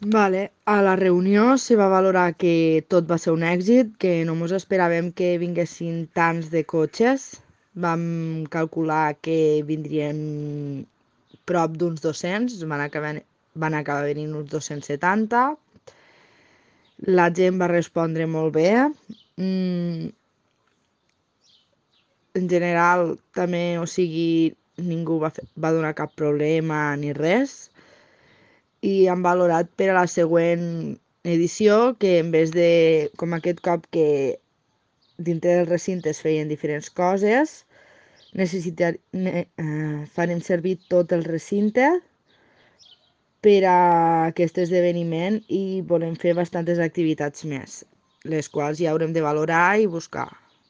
A la reunió se va valorar que tot va ser un èxit, que no mos esperàvem que vinguessin tants de cotxes. Vam calcular que vindrien prop d'uns 200, van acabar venint uns 270. La gent va respondre molt bé. Mm, en general, també, o sigui, ningú va donar cap problema ni res. I han valorat per a la següent edició que en vez de, com aquest cop que dintre del recinte es feien diferents coses, farem servir tot el recinte per a aquest esdeveniment i volem fer bastantes activitats més, les quals ja haurem de valorar i buscar.